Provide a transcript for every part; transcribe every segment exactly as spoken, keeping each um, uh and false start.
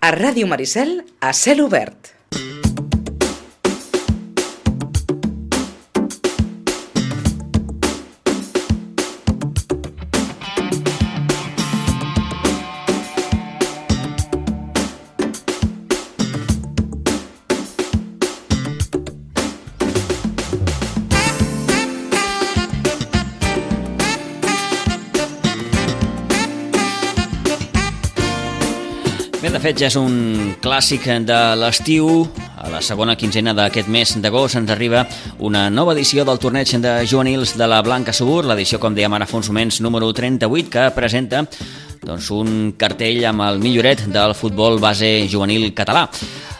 A Ràdio Maricel, a cel obert. Bé, de fet, ja és un clàssic de l'estiu. A la segona quinzena d'aquest mes d'agost ens arriba una nova edició del torneig de juvenils de la Blanca Subur, l'edició, com dèiem ara fa uns moments, número trenta-vuit, que presenta doncs, un cartell amb el milloret del futbol base juvenil català.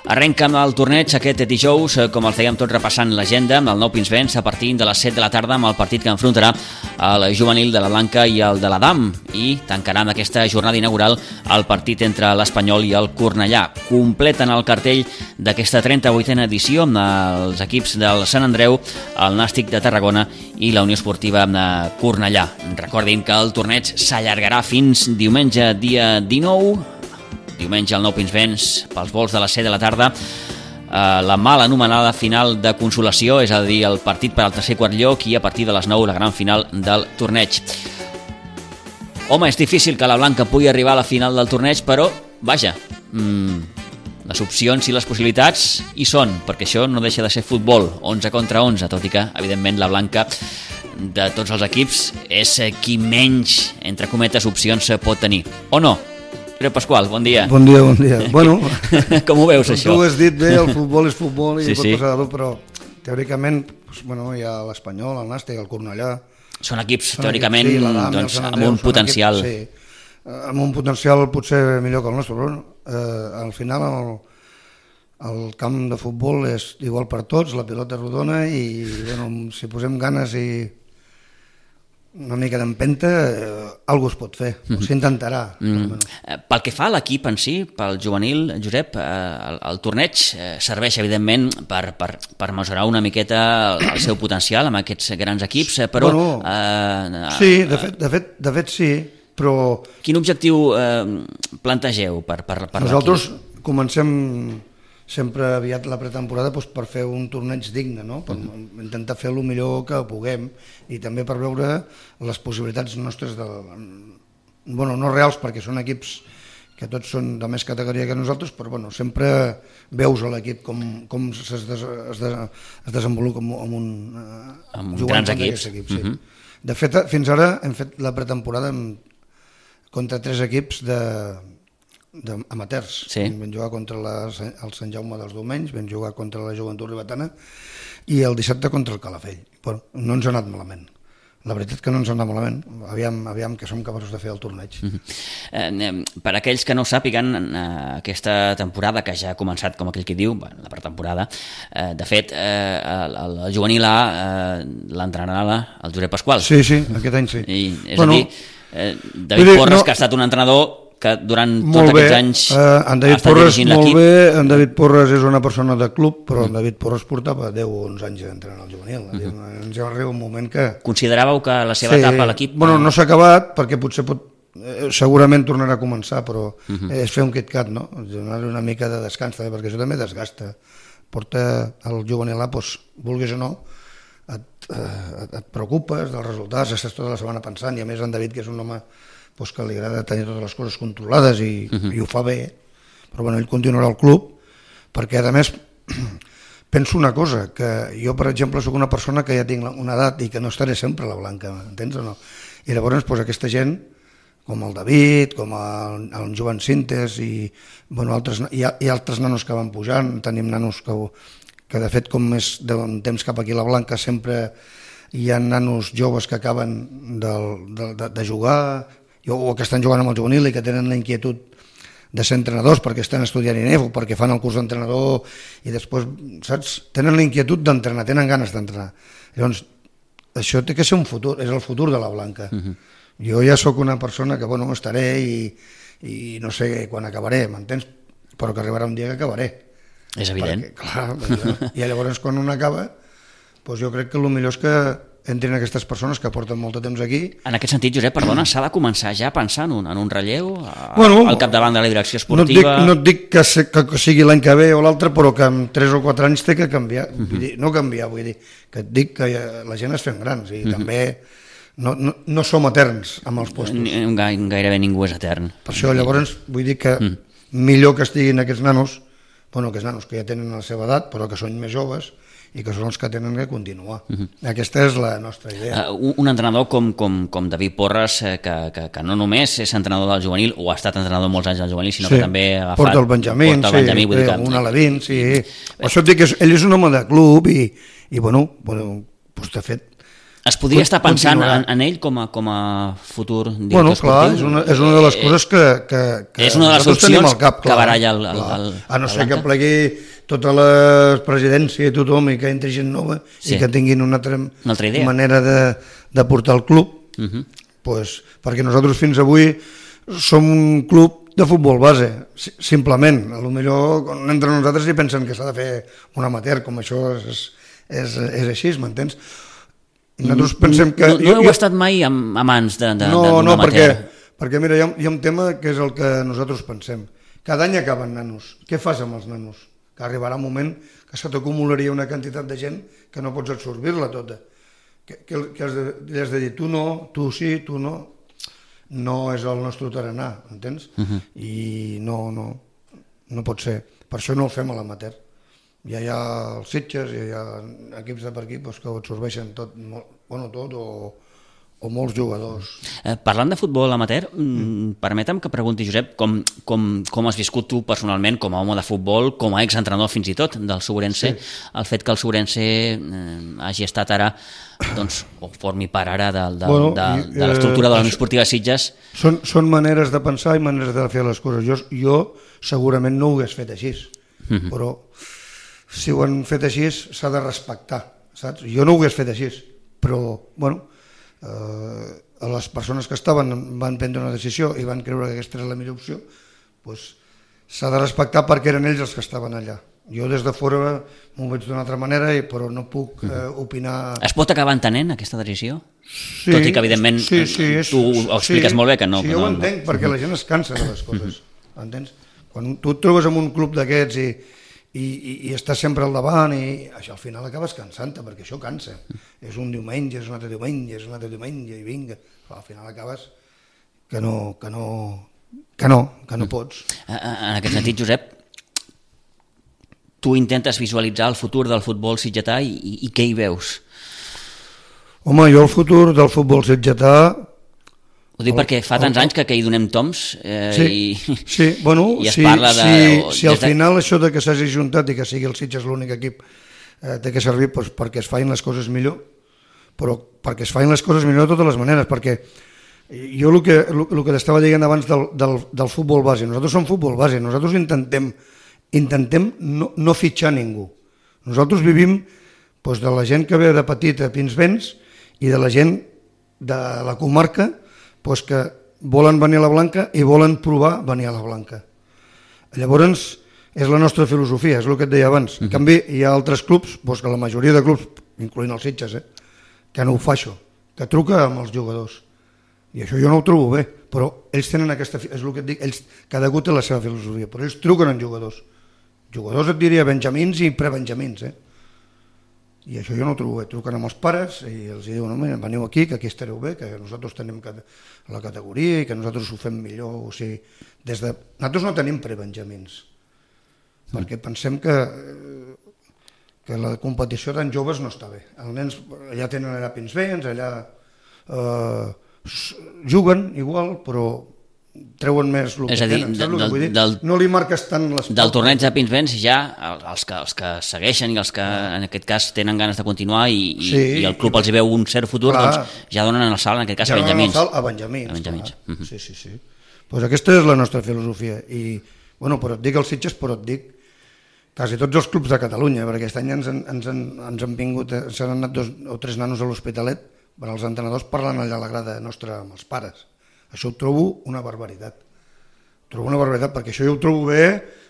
Arrenca amb el torneig aquest dijous, com el fèiem tot repassant l'agenda, amb el nou Pinsbens a partir de les set de la tarda amb el partit que enfrontarà el juvenil de la Blanca i el de l'Adam, i tancarà amb aquesta jornada inaugural el partit entre l'Espanyol i el Cornellà. Completen el cartell d'aquesta trenta-vuitena edició amb els equips del Sant Andreu, el Nàstic de Tarragona i la Unió Esportiva de Cornellà. Recordin que el torneig s'allargarà fins diumenge dia dinou, diumenge al nou Pinsbens pels vols de les set de la tarda, la mal anomenada final de consolació, és a dir, el partit per al tercer quart lloc, i a partir de les nou la gran final del torneig. Home, és difícil que la Blanca pugui arribar a la final del torneig, però, vaja, mmm, les opcions i les possibilitats hi són, perquè això no deixa de ser futbol, onze contra onze, tot i que, evidentment, la Blanca, de tots els equips, és qui menys, entre cometes, opcions pot tenir. O no? Pere Pasqual, bon dia. Bon dia, bon dia. Bueno, com ho veus, això? Tu ho has dit bé, el futbol és futbol i sí, pot sí. passar de tot, però teòricament doncs, bueno, hi ha l'Espanyol, el Nàstic, el Cornellà. Són equips, són teòricament, equips, sí, l'Adam, doncs, Andreu, amb un potencial. Equips, sí, amb un potencial potser millor que el nostre, però eh, al final el, el camp de futbol és igual per tots, la pilota és rodona i bueno, si posem ganes i una mica d'empenta, eh, alguna cosa es pot fer, mm-hmm. s'intentarà. Mm. Pel que fa a l'equip en si, pel juvenil, Josep, eh, el, el torneig eh, serveix, evidentment, per, per, per mesurar una miqueta el, el seu potencial amb aquests grans equips, eh, però... Bueno, eh, sí, de fet, de, fet, de fet sí, però... Quin objectiu eh, plantegeu per, per, per nosaltres l'equip? Comencem sempre aviat la pretemporada doncs, per fer un torneig digne, no? Per uh-huh. intentar fer el millor que puguem i també per veure les possibilitats nostres de... bueno, no reals perquè són equips que tots són de més categoria que nosaltres, però bueno, sempre veus a l'equip com, com es, des, es, des, es desenvolupa amb un... amb grans equips. Equip, sí. uh-huh. De fet, fins ara hem fet la pretemporada amb, contra tres equips de... amateurs. Sí. Vam jugar contra la, el Sant Jaume dels Domenys, vam jugar contra la Joventut Ribetana i el dissabte contra el Calafell. Bueno, no ens ha anat malament. La veritat que no ens ha anat malament. Aviam, aviam que som capaços de fer el torneig. Uh-huh. eh, per aquells que no sàpiguen, eh, aquesta temporada que ja ha començat, com aquell que diu, bueno, la pretemporada, eh, de fet, eh, el, el, el juvenil A eh, l'entrenarà el Josep Pasqual. Sí, sí, aquest any sí. I, és bueno, a dir, eh, David dir, Porres, no... que ha estat un entrenador que durant tots aquests anys uh, en David ha estat Porres, dirigint molt l'equip. Bé, en David Porres és una persona de club, però mm. en David Porres portava deu o onze anys entrenant al juvenil. Mm-hmm. Ens arriba un moment que... Consideràveu que la seva sí, etapa a l'equip... Bueno, no s'ha acabat, perquè potser pot, eh, segurament tornarà a començar, però mm-hmm. és fer un KitKat, no? Donar-li una mica de descans, també, perquè això també desgasta. Porta el juvenil A, doncs, vulguis o no, et, eh, et preocupes dels resultats, estàs tota la setmana pensant, i a més en David, que és un home pues que li agrada tenir totes les coses controlades i, uh-huh. i ho fa bé, però bueno, ell continuarà al club, perquè a més penso una cosa, que jo per exemple sóc una persona que ja tinc una edat i que no estaré sempre a la Blanca, entens o no? I llavors pues, aquesta gent, com el David, com el, el Joan Cintes i, bueno, altres, i, i altres nanos que van pujant, tenim nanos que, que de fet com és d'un temps cap aquí a la Blanca sempre hi ha nanos joves que acaben de, de, de, de jugar o que estan jugant amb el juvenil i que tenen la inquietud de ser entrenadors perquè estan estudiant I N E F o perquè fan el curs d'entrenador i després, saps? Tenen la inquietud d'entrenar, tenen ganes d'entrenar. Llavors, això té que ser un futur, és el futur de la Blanca. Uh-huh. Jo ja sóc una persona que, bueno, estaré i, i no sé quan acabaré, m'entens? Però que arribarà un dia que acabaré. És evident. Perquè, clar, i llavors quan un acaba, doncs jo crec que el millor és que entrin aquestes persones que porten molt de temps aquí. En aquest sentit, Josep, perdona, s'ha de començar ja pensant en un, en un relleu a, bueno, al capdavant de la direcció esportiva? No et dic, no et dic que, se, que sigui l'any que ve o l'altre, però que en tres o quatre anys té que canviar. Uh-huh. Vull dir, no canviar, vull dir, que et dic que la gent es fem grans i uh-huh. també no, no, no som eterns amb els postos. Gairebé ningú és etern. Per això, llavors, vull dir que uh-huh. millor que estiguin aquests nanos, bueno, aquests nanos que ja tenen la seva edat, però que són més joves, i que són els que tenen que continuar. Uh-huh. Aquesta és la nostra idea. Uh, un entrenador com, com, com David Porres, eh, que, que, que no només és entrenador del juvenil, o ha estat entrenador molts anys del juvenil, sinó sí, que també ha agafat... Porta el Benjamín, porta el Benjamí, sí, vull dir que... un Aladín, sí. Eh, per això et dic que és, ell és un home de club i, i bueno, bueno doncs de fet... Es podria estar pensant en, en ell com a, com a futur director bueno, clar, esportiu? És una, és una de les coses que, que, que és una de les opcions cap, que baralla el, el, el, a no ser que plegui tota la presidència i tothom i que entri gent nova sí. i que tinguin una altra, una altra idea. manera de, de portar el club, uh-huh. pues, perquè nosaltres fins avui som un club de futbol base, simplement. A lo millor quan entre nosaltres hi pensen que s'ha de fer un amateur, com això és, és, és així, m'entens? Nosaltres pensem que... No, no heu jo, estat mai a mans de, de, no, d'un no, amateur? Perquè, perquè mira, hi ha, hi ha un tema que és el que nosaltres pensem. Cada any acaben nanos. Què fas amb els nanos? Que arribarà un moment que se t'acumularia una quantitat de gent que no pots absorbir-la tota. Que, que, que has, de, has de dir, tu no, tu sí, tu no. No és el nostre tarannà, entens? Uh-huh. I no, no, no pot ser. Per això no el fem a l'amateur. Ja hi ha els Sitges, ja hi ha equips de per aquí doncs, que ho absorbeixen tot, bueno, tot o, o molts jugadors. Eh, parlant de futbol amateur, mm. permetem que pregunti, Josep, com, com, com has viscut tu personalment com a home de futbol, com a exentrenador fins i tot del Segurense, sí. el fet que el Segurense eh, hagi estat ara, doncs, o formi part ara de, de, bueno, de, de l'estructura de la Unió Esportiva Sitges. Són, són maneres de pensar i maneres de fer les coses. Jo, jo segurament no ho hagués fet així, mm-hmm. però si ho han fet així s'ha de respectar, saps? Jo no ho hagués fet així, però, bueno, eh, les persones que estaven van prendre una decisió i van creure que aquesta era la millor opció, doncs s'ha de respectar perquè eren ells els que estaven allà. Jo des de fora m'ho veig d'una altra manera, però no puc eh, opinar... Es pot acabar entenent aquesta decisió? Sí, tot i que, evidentment, sí, sí, és, tu ho expliques sí, molt bé que no... Sí, jo ho entenc, no. Perquè la gent es cansa de les coses, entens? Quan tu et trobes en un club d'aquests i I, i, i estàs sempre al davant i això al final acabes cansant-te perquè això cansa, és un diumenge, és un altre diumenge, és un altre diumenge i vinga, al final acabes que no, que no, que no, que no pots. En aquest sentit, Josep, tu intentes visualitzar el futur del futbol sitgetà i, i, i què hi veus? Home, jo el futur del futbol sitgetà... Ho dic el, perquè fa tants el, anys que, que hi donem toms eh, sí, i, sí, bueno, i es sí, parla de... Sí, o, si al de... final això de que s'hagi juntat i que sigui el Sitges l'únic equip eh, té que servir doncs, perquè es facin les coses millor, però perquè es facin les coses millor de totes les maneres, perquè jo el que, el, el que t'estava dient abans del, del, del futbol base, nosaltres som futbol base, nosaltres intentem, intentem no, no fitxar ningú. Nosaltres vivim doncs, de la gent que ve de petit a Pinsbens i de la gent de la comarca doncs que volen venir a la Blanca i volen provar venir a la Blanca. Llavors, és la nostra filosofia, és el que et deia abans. En canvi, hi ha altres clubs, doncs que la majoria de clubs, incloent els Sitges, eh, que no ho fa això, que truca amb els jugadors. I això jo no ho trobo bé, però ells tenen aquesta... És el que et dic, ells, cada un té la seva filosofia, però ells truquen amb jugadors. Jugadors et diria benjamins i prebenjamins, eh? I això jo no ho trobo bé. Truquen amb els pares i els diuen, no, veniu aquí, que aquí estareu bé, que nosaltres tenim la categoria i que nosaltres ho fem millor. O sigui, des de... Nosaltres no tenim prebenjamins, sí. Perquè pensem que, que la competició tan joves no està bé. Els nens allà tenen allà Pinsbens, allà eh, juguen igual, però treuen més el que és a dir, tenen, saps del, el que vull dir? Del, no li marques tant les... Del torneig de Pinsbens ja els que, els que segueixen i els que en aquest cas tenen ganes de continuar i, sí, i el club i, els hi veu un cert futur, clar, doncs ja donen el salt en aquest cas ja a Benjamins. Ja donen el salt a Benjamins. A Benjamins. Uh-huh. Sí, sí, sí. Pues aquesta és la nostra filosofia i, bueno, però et dic els Sitges, però et dic quasi tots els clubs de Catalunya, perquè aquest any ens, ens, ens han vingut, s'han anat dos o tres nanos a l'Hospitalet, per als entrenadors parlant allà a la grada nostra amb els pares. Això ho trobo una barbaritat. Trobo una barbaritat, perquè això jo ho trobo bé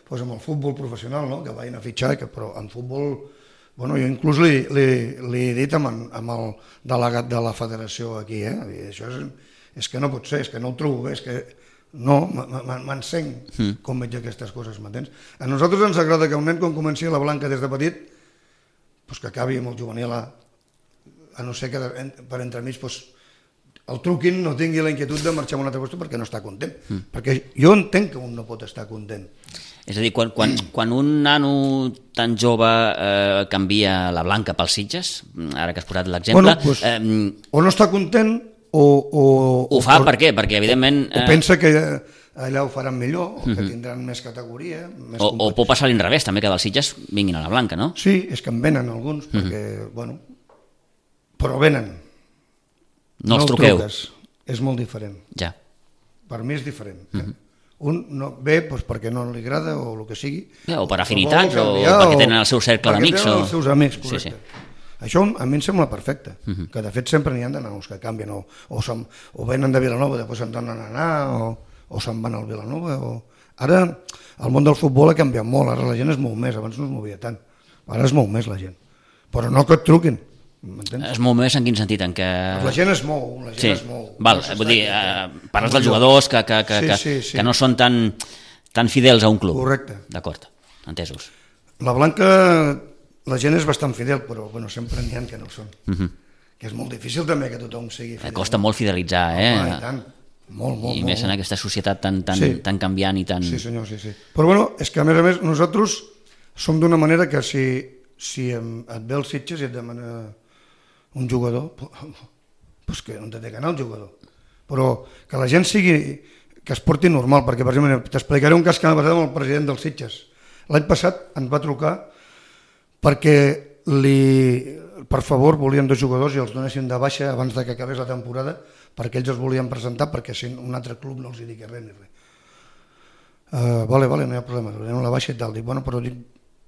doncs, amb el futbol professional, no? Que vagin a fitxar, que, però en futbol Bueno, jo inclús li, li, li he dit amb, amb el delegat de la federació aquí, eh? Això és, és que no pot ser, és que no ho trobo bé, és que no, m'encenc mm. com veig aquestes coses, m'entens? A nosaltres ens agrada que un nen quan comenci a la Blanca des de petit, pues que acabi amb el juvenil A, a no ser que per entremig pues, el truquin, no tingui la inquietud de marxar a un altre lloc perquè no està content. Mm. Perquè jo entenc que un no pot estar content. És a dir, quan, quan, quan un nano tan jove eh, canvia la Blanca pels Sitges, ara que has posat l'exemple... Bueno, pues, eh, o no està content o... o ho fa o, per què? Perquè evidentment... Eh, o pensa que allà ho faran millor, o que uh-huh. tindran més categoria... Més o, o pot passar a l'inrevés, també, que dels Sitges vinguin a la Blanca, no? Sí, és que en venen alguns, perquè, uh-huh. bueno... Però venen. No, no els truqueu. Truques. És molt diferent. Ja. Per mi és diferent. Uh-huh. eh? Un no, ve doncs, perquè no li agrada o el que sigui. Ja, o per afinitats, o, o perquè tenen el seu cercle d'amics. Perquè tenen o... els seus amics, correcte. Sí, sí. Això a mi em sembla perfecte, uh-huh. que de fet sempre n'hi ha de nanos que canvien, o, o, som, o venen de Vilanova, després se'n donen a anar, o, o se'n van al Vilanova. O... Ara el món del futbol ha canviat molt, ara la gent es mou més, abans no es movia tant, ara es mou més la gent. Però no que et truquin. Es mou més en quin sentit? En què... La gent es mou, la gent sí. es mou. Val, no vull dir, eh, parles dels jugadors que, que, que, sí, sí, sí. que no són tan, tan fidels a un club. Correcte. D'acord, entesos. La Blanca, la gent és bastant fidel, però bueno, sempre n'hi ha que no ho són. Uh-huh. Que és molt difícil també que tothom sigui fidel. Costa molt fidelitzar, eh? Home, i tant. Molt, molt, I molt, més en aquesta societat tan, tan, sí. tan canviant i tan... Sí, senyor, sí, sí. Però bueno, és que a més a més nosaltres som d'una manera que si, si et ve els Sitges i et demana un jugador, doncs que no té que anar el jugador. Però que la gent sigui, que es porti normal, perquè per exemple t'explicaré un cas que m'ha passat amb el president dels Sitges. L'any passat ens va trucar perquè li, per favor volien dos jugadors i els donessin de baixa abans de que acabés la temporada perquè ells es volien presentar perquè si un altre club no els hi digui res ni res. Uh, vale, vale, no hi ha problema, donem la baixa i tal. Dic, bueno, però dic,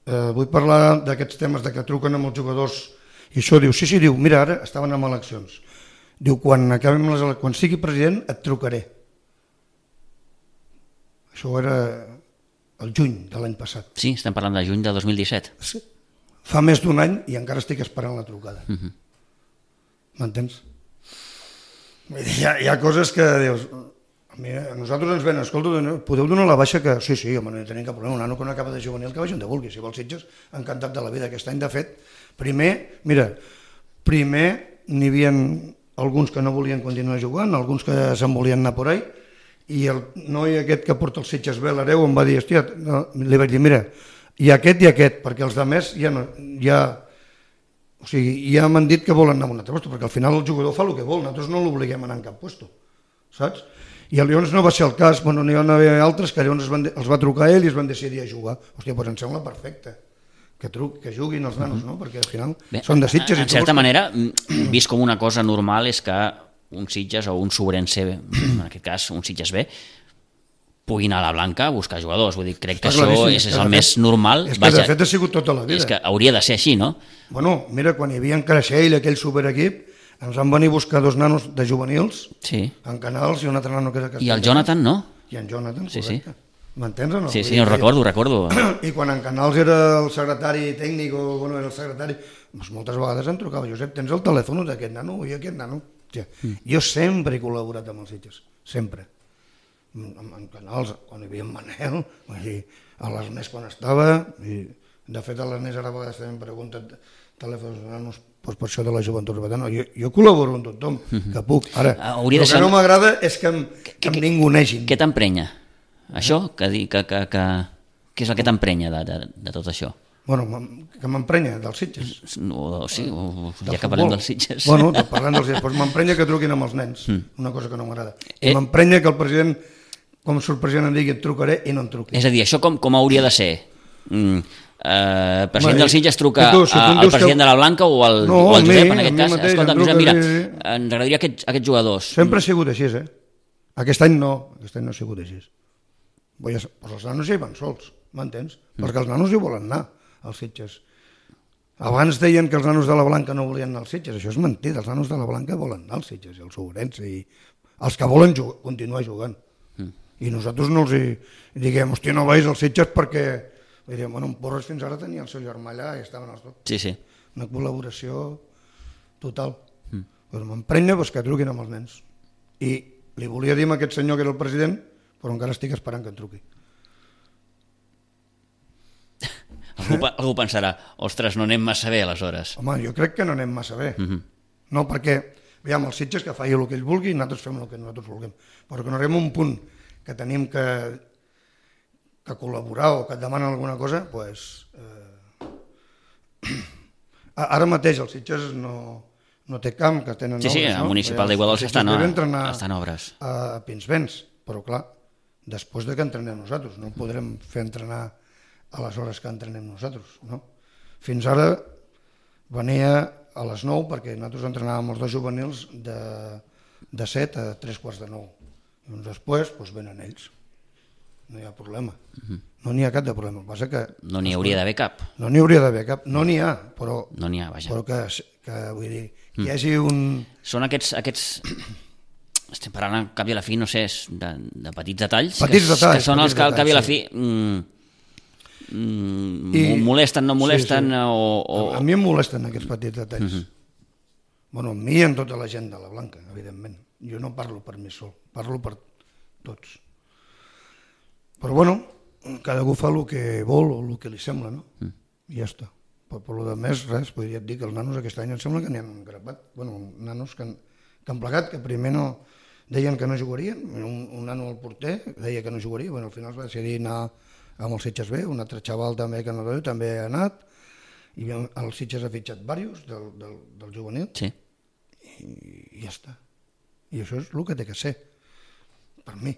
uh, vull parlar d'aquests temes de que truquen amb els jugadors. I això diu, sí, sí, diu, mira, ara estaven amb eleccions. Diu, quan acabem les eleccions, quan sigui president et trucaré. Això era el juny de l'any passat. Sí, estem parlant de juny de dos mil disset. Sí. Fa més d'un any i encara estic esperant la trucada. Uh-huh. M'entens? Hi ha, hi ha coses que dius, a, mi, a nosaltres ens ven, escolta, podeu donar la baixa que... Sí, sí, home, no tenim cap problema, un nano que no acaba de juvenil que vagi on de vulgui, si vol Sitges, encantat de la vida. Aquest any, de fet, primer, mira, primer n'hi havia alguns que no volien continuar jugant, alguns que se'n volien anar por ahí, i el noi aquest que porta els Sitges bé, l'hereu, em va dir, hòstia, no, li vaig dir, mira, i aquest i aquest, perquè els altres ja no... Ja, o sigui, ja m'han dit que volen anar a un altre lloc, perquè al final el jugador fa el que vol, nosaltres no l'obliguem a anar en cap lloc, saps? I llavors no va ser el cas, bueno, n'hi va haver altres que llavors van, els va trucar ell i es van decidir a jugar. Hòstia, doncs em sembla perfecte que, truc, que juguin els nanos, no? Perquè al final bé, són de Sitges. En certa manera, vist com una cosa normal és que un Sitges o un Sobrense, en aquest cas un Sitges B, puguin a la Blanca a buscar jugadors. Vull dir, crec que això és, és el més normal. És que Vaja, de fet ha sigut tota la vida. És que hauria de ser així, no? Bueno, mira, quan hi havia en Creixell, aquell superequip, ens van venir a buscar dos nanos de juvenils, sí. en Canals, i un altre nano que era Castellà. I el Jonathan, no? I en Jonathan, sí, correcte. Sí. M'entens o no? Sí, sí, ho recordo, ho recordo. I quan en Canals era el secretari tècnic, o bueno, era el secretari, doncs moltes vegades em trucava, Josep, tens el telèfon d'aquest nano? I aquest nano? Ja. Mm. Jo sempre he col·laborat amb els Sitges, sempre. En Canals, quan hi havia en Manel, a l'Ernest quan estava, i de fet a l'Ernest ara a vegades també em pregunten telèfons nanos, doncs per això de la joventut urbana. Jo, jo col·laboro amb tothom, que puc. Ara, el que ser... no m'agrada és que em, que, que em ningunegin. Què t'emprenya? Això? Que, que, que, que... Què és el que t'emprenya de, de, de tot això? Bueno, que m'emprenya dels Sitges. No, sí, o, ja que parlem dels Sitges. Bueno, parlant dels Sitges, doncs m'emprenya que truquin amb els nens, una cosa que no m'agrada. Eh... M'emprenya que el president, com surt el president, em digui et trucaré i no em truqui. És a dir, això com, com hauria de ser? Mm. Uh, el president dels Sitges truca tu, si al president que... de la Blanca o al, no, o al Josep, mi, en aquest cas. Mateix, escolta, Josep, mira, ens agradaria aquests, aquests jugadors. Sempre ha sigut així, eh? Aquest any no, aquest any no ha sigut així. Pues els nanos ja hi van sols, m'entens? Mm. Perquè els nanos hi volen anar, als Sitges. Abans deien que els nanos de la Blanca no volien anar als Sitges, això és mentida, els nanos de la Blanca volen anar als Sitges, i els Sobrense, i els que volen jugar, continuar jugant. Mm. I nosaltres no els hi diguem, hòstia, no vais als Sitges perquè Vull dir, bueno, en Porres fins ara tenia el seu germà allà i estaven els dos. Sí, sí. Una col·laboració total. Mm. Però m'emprenya pues, que truquin amb els nens. I li volia dir a aquest senyor que era el president, però encara estic esperant que em truqui. Algú, algú pensarà, ostres, no anem massa bé aleshores. Home, jo crec que no anem massa bé. Mm-hmm. No, perquè, veiem, els Sitges que faci el que ell vulgui i nosaltres fem el que nosaltres vulguem. Però que no arribem a un punt que tenim que, que col·laborar o que et demanen alguna cosa, doncs... Pues, eh... Ara mateix els Sitges no, no té camp, que tenen sí, obres, sí, no? el municipal d'Iguadols està, no, està en obres. A Pinsbens, però clar, després de que entrenem nosaltres, no podrem fer entrenar a les hores que entrenem nosaltres, no? Fins ara venia a les nou, perquè nosaltres entrenàvem els dos juvenils de, de set a tres quarts de nou. I doncs després doncs venen ells. No hi ha problema. Uh-huh. No n'hi ha cap de problema. El que passa que... No n'hi hauria d'haver cap. No n'hi hauria d'haver cap. No n'hi ha, però... No n'hi ha, vaja. Però que, que vull dir, que hi hagi un... Són aquests... aquests... Estem parlant al cap i a la fi, no sé, de, de petits detalls. Petits que, detalls. Que són els que al cap i a la sí. fi... Mm, mm, I, molesten, no molesten, sí, sí. O, o... A, a mi em molesten aquests petits detalls. Uh-huh. Bueno, a mi i en tota la gent de la Blanca, evidentment. Jo no parlo per mi sol, parlo per tots. Però bueno, cadascú fa el que vol o el que li sembla, no? Mm. I ja està. Però per lo de més, res, podria dir que els nanos aquest any em sembla que n'hi han grapat. Bueno, nanos que han, que han plegat, que primer no deien que no jugarien, un, un nano al porter deia que no jugaria, bueno, al final es va decidir anar amb els Sitges B, un altre xaval també que no veu, també ha anat, i el Sitges ha fitxat diversos del, del, del juvenil, sí. i, i ja està. I això és el que té que ser, per mi.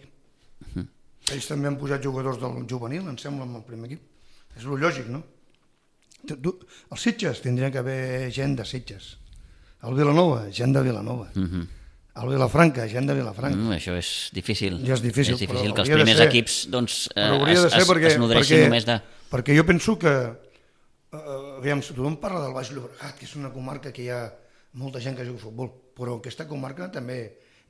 Uh-huh. Ells també han posat jugadors del juvenil, em sembla, amb el primer equip. És el lògic, no? Els Sitges tindrien que haver gent de Sitges. El Vilanova, gent de Vilanova. Uh-huh. El Vilafranca, gent de Vilafranca. Mm, això és difícil. Ja és difícil, és difícil però que els primers ser, equips doncs, eh, es, es, perquè, es nodreixin perquè, només de... Perquè jo penso que... Eh, aviam, tothom parla del Baix Llobregat, que és una comarca que hi ha molta gent que juga a futbol, però en aquesta comarca també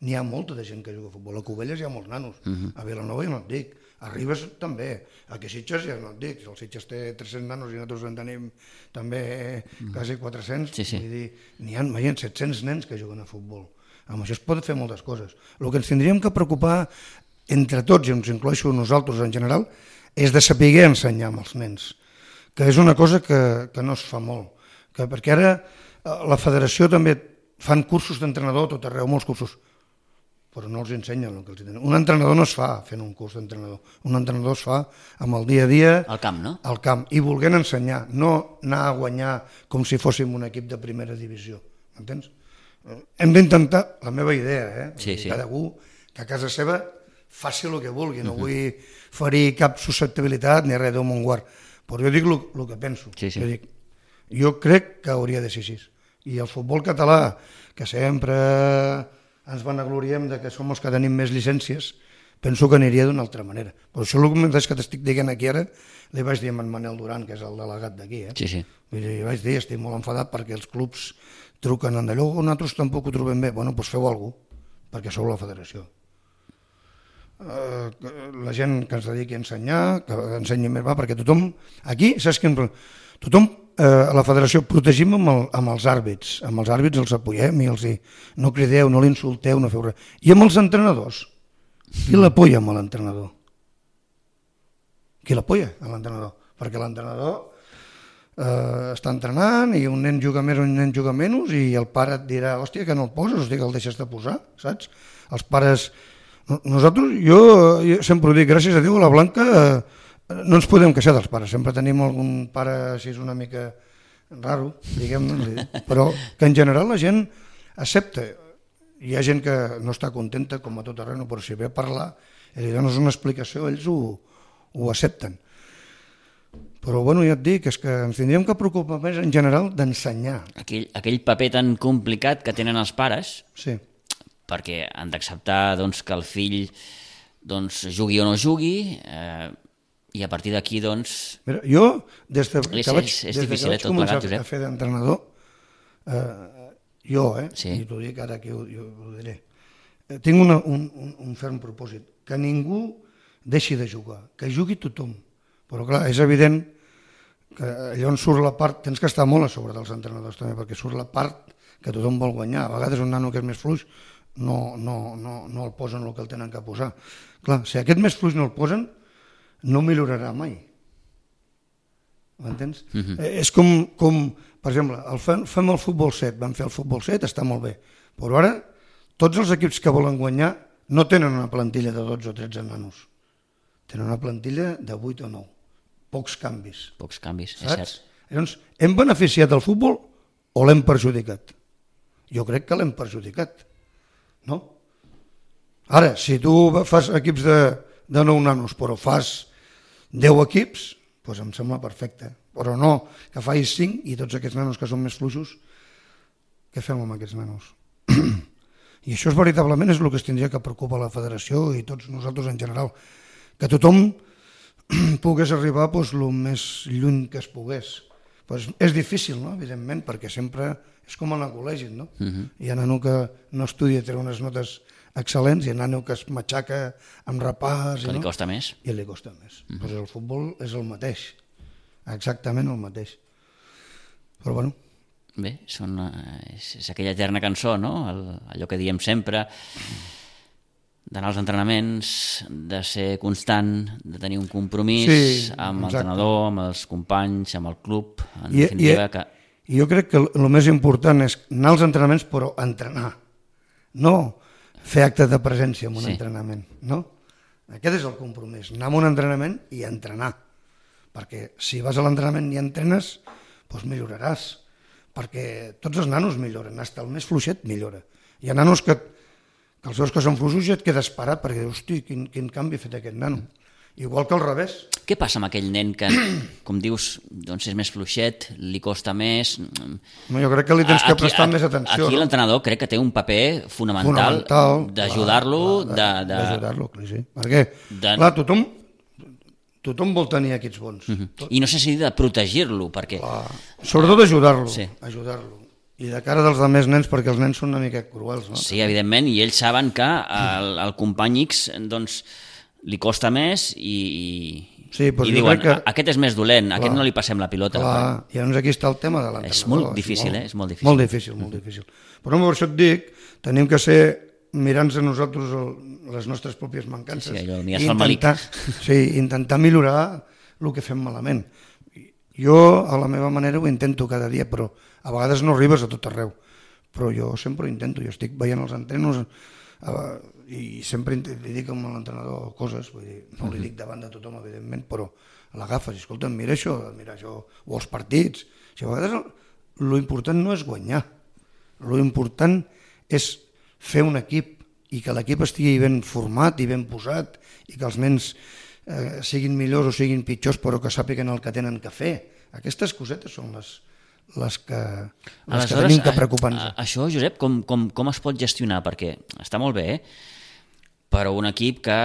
n'hi ha molta de gent que juga a futbol. A Cubelles hi ha molts nanos, uh-huh. A Vilanova ja no et dic, a Ribes també, a Sitges ja no et dic, el Sitges té tres-cents nanos i nosaltres en tenim també uh-huh. quasi quatre-cents, sí, sí. Vull dir, n'hi ha, ha set-cents nens que juguen a futbol. Amb això es pot fer moltes coses. El que ens tindríem que preocupar entre tots, i ens incloeixo nosaltres en general, és de saber ensenyar amb els nens, que és una cosa que, que no es fa molt, que, perquè ara la federació també fan cursos d'entrenador tot arreu, molts cursos, però no els ensenyen el que els ensenyen. Un entrenador no es fa fent un curs d'entrenador, un entrenador es fa amb el dia a dia al camp, no? Al camp, i volent ensenyar, no anar a guanyar com si fóssim un equip de primera divisió, m'entens? Hem d'intentar, la meva idea, eh? Sí, sí. Cadascú que a casa seva faci el que vulgui, no uh-huh. vull ferir cap susceptibilitat ni res d'un món guard, però jo dic el que penso. Sí, sí. Jo, dic, jo crec que hauria de ser així. I el futbol català, que sempre ens vanagloriem de que som els que tenim més llicències, penso que aniria d'una altra manera. Però això el mateix que t'estic dient aquí ara, li vaig dir a en Manel Duran, que és el delegat d'aquí. Eh? Sí, sí. Vull dir, vaig dir, estic molt enfadat perquè els clubs truquen en allò, nosaltres tampoc ho trobem bé. Bueno, doncs feu alguna cosa, perquè sou la federació. Uh, la gent que ens dediqui a ensenyar, que ensenyi més, va, perquè tothom, aquí, saps què? Tothom, eh, a la federació, protegim amb, el, amb els àrbits, amb els àrbits els apoyem i els hi, no crideu, no l'insulteu, no feu res. I amb els entrenadors, qui l'apoya amb l'entrenador? Qui l'apoya a l'entrenador? Perquè l'entrenador eh, està entrenant i un nen juga més o un nen juga menys i el pare et dirà, hòstia, que no el poses, hòstia, que el deixes de posar, saps? Els pares... Nosaltres, jo, jo sempre ho dic, gràcies a Déu, a la Blanca eh, no ens podem queixar dels pares, sempre tenim algun pare així una mica raro, diguem-ne, però que en general la gent accepta. Hi ha gent que no està contenta, com a tot arreu, però si ve a parlar i li dones una explicació, ells ho, ho accepten. Però bueno, ja et dic, és que ens tindríem que preocupar més en general d'ensenyar. Aquell, aquell paper tan complicat que tenen els pares, sí. Perquè han d'acceptar doncs, que el fill doncs, jugui o no jugui, eh, i a partir d'aquí, doncs... Mira, jo, des de que és, vaig, és, és des difícil, que vaig eh, tot començar plegat, a fer d'entrenador, eh, jo, eh, sí. i t'ho dic ara que ho, jo ho diré, eh, tinc una, un, un, un ferm propòsit, que ningú deixi de jugar, que jugui tothom. Però clar, és evident que allà on surt la part, tens que estar molt a sobre dels entrenadors també, perquè surt la part que tothom vol guanyar. A vegades un nano que és més fluix no, no, no, no el posen el que el tenen que posar. Clar, si aquest més fluix no el posen, no millorarà mai. M'entens? Uh-huh. eh, és com, com, per exemple, el fem, fem el futbol set, vam fer el futbol set, està molt bé, però ara tots els equips que volen guanyar no tenen una plantilla de dotze o tretze nanos, tenen una plantilla de vuit o nou. Pocs canvis. Pocs canvis, saps? És cert. Llavors, hem beneficiat el futbol o l'hem perjudicat? Jo crec que l'hem perjudicat, no? Ara, si tu fas equips de, de nou nanos, però fas deu equips, doncs em sembla perfecte. Però no que facis cinc i tots aquests nanos que són més fluixos, què fem amb aquests nanos? I això és veritablement és el que es tindria que preocupar la federació i tots nosaltres en general, que tothom pogués arribar doncs, el més lluny que es pogués. Pues és difícil, no? Evidentment, perquè sempre és com en el col·legi, no? Uh-huh. Hi ha nano que no estudia, té unes notes excel·lents, i hi ha nano que es matxaca amb repàs... Que li no? costa més. I li costa més. Uh-huh. Pues el futbol és el mateix, exactament el mateix. Però bueno... Bé, són, és, és aquella eterna cançó, no? El, allò que diem sempre... d'anar als entrenaments, de ser constant, de tenir un compromís sí, amb l'entrenador, amb els companys, amb el club, en I, definitiva... I, que... I jo crec que el més important és anar als entrenaments, però entrenar, no fer acte de presència en un sí. entrenament, no? Aquest és el compromís, anar a un entrenament i entrenar, perquè si vas a l'entrenament i entrenes, doncs milloraràs, perquè tots els nanos milloren, fins el més fluixet millora. Hi ha nanos que que els veus que són fluixos i et quedes parat perquè dius, hosti, quin, quin canvi ha fet aquest nano. Igual que al revés. Què passa amb aquell nen que, com dius, doncs és més fluixet, li costa més... No, jo crec que li tens que aquí, prestar a, més atenció. Aquí no? L'entrenador crec que té un paper fonamental, fonamental d'ajudar-lo... D'ajudar-lo, de, de... sí. Perquè, de... clar, tothom, tothom vol tenir aquests bons. Uh-huh. Tot... I no sé si de protegir-lo, perquè... Clar. Sobretot ajudar-lo, sí. ajudar-lo. I de cara dels altres nens, perquè els nens són una mica cruels, no? Sí, evidentment, i ells saben que al, al company X doncs, li costa més i, sí, i diuen, que... aquest és més dolent, clar, aquest no li passem la pilota. Clar, i llavors aquí està el tema de l'entrenador. És molt difícil, eh? És molt difícil. Molt difícil, molt difícil. Però per això et dic, tenim que ser, mirant-nos a nosaltres el, les nostres pròpies mancances, sí, allò, i intentar, sí, intentar millorar el que fem malament. Jo, a la meva manera, ho intento cada dia, però a vegades no arribes a tot arreu. Però jo sempre ho intento, jo estic veient els entrenos eh, i sempre li dic a l'entrenador coses, vull dir, no li dic davant de tothom, evidentment, però l'agafes, escolta, mira això, mira això, o els partits. O sigui, a vegades l'important no és guanyar, l'important és fer un equip i que l'equip estigui ben format i ben posat i que els nens eh, siguin millors o siguin pitjors però que sàpiguen el que tenen que fer. Aquestes cosetes són les, les que, les que tenim que preocupar-nos. Això, Josep, com, com, com es pot gestionar? Perquè està molt bé, eh? Però un equip que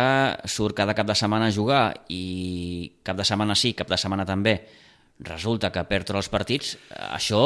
surt cada cap de setmana a jugar i cap de setmana sí, cap de setmana també, resulta que perd tots els partits, això,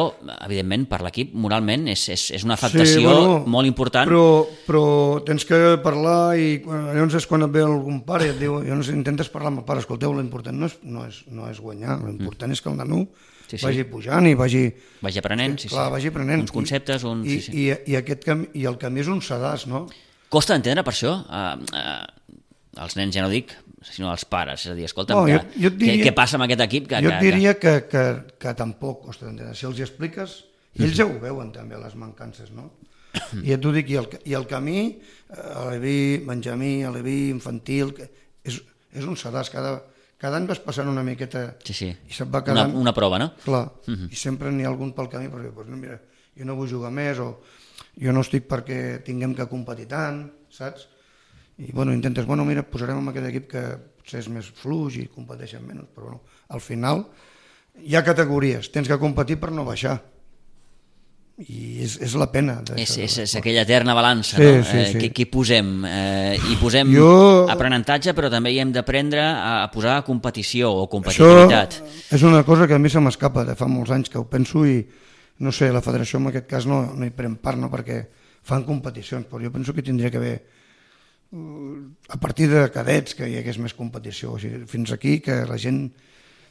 evidentment, per l'equip, moralment, és, és, és una afectació sí, bueno, molt important. Però, però tens que parlar i llavors és quan et ve algun pare i et diu, llavors intentes parlar amb el pare, escolteu, l'important no és, no és, no és guanyar, l'important mm. és que el nano sí, sí. vagi pujant i vagi... Vagi aprenent, sí, sí. Clar, vagi aprenent. Uns conceptes, un... I, sí, sí. i, i, aquest camí, i el camí és un sedàs, no? Costa d'entendre per això? Uh, uh, els nens ja no dic, sinó els pares, és a dir, escolta'm, no, que, jo, jo diria, què, què passa amb aquest equip? Que, jo que, et diria que, que, que tampoc costa d'entendre. Si els hi expliques, ells ja ho veuen també, les mancances, no? I et ho dic, i el, i el camí, a l'Evi, Benjamí, a l'Evi, infantil, és, és un sedàs, cada, cada any vas passant una miqueta sí, sí. i se't va quedant... Una, una prova, no? Clar, uh-huh. I sempre n'hi ha algun pel camí, perquè, doncs, no, mira, jo no vull jugar més, o jo no estic perquè tinguem que competir tant, saps? I bueno, intentes, bueno, mira, posarem en aquest equip que potser és més fluix i competeixen menys, però bueno, al final hi ha categories, tens que competir per no baixar. I és, és la pena. És, és, és aquella eterna balança, sí, no? Sí, eh, sí. Qui, qui posem? Eh, I posem jo... aprenentatge, però també hi hem d'aprendre a posar competició o competitivitat. Això és una cosa que a mi se m'escapa de fa molts anys que ho penso i no sé, la federació en aquest cas no, no hi pren part, no? Perquè fan competicions, però jo penso que tindria que haver a partir de cadets que hi hagués més competició, o sigui, fins aquí que la gent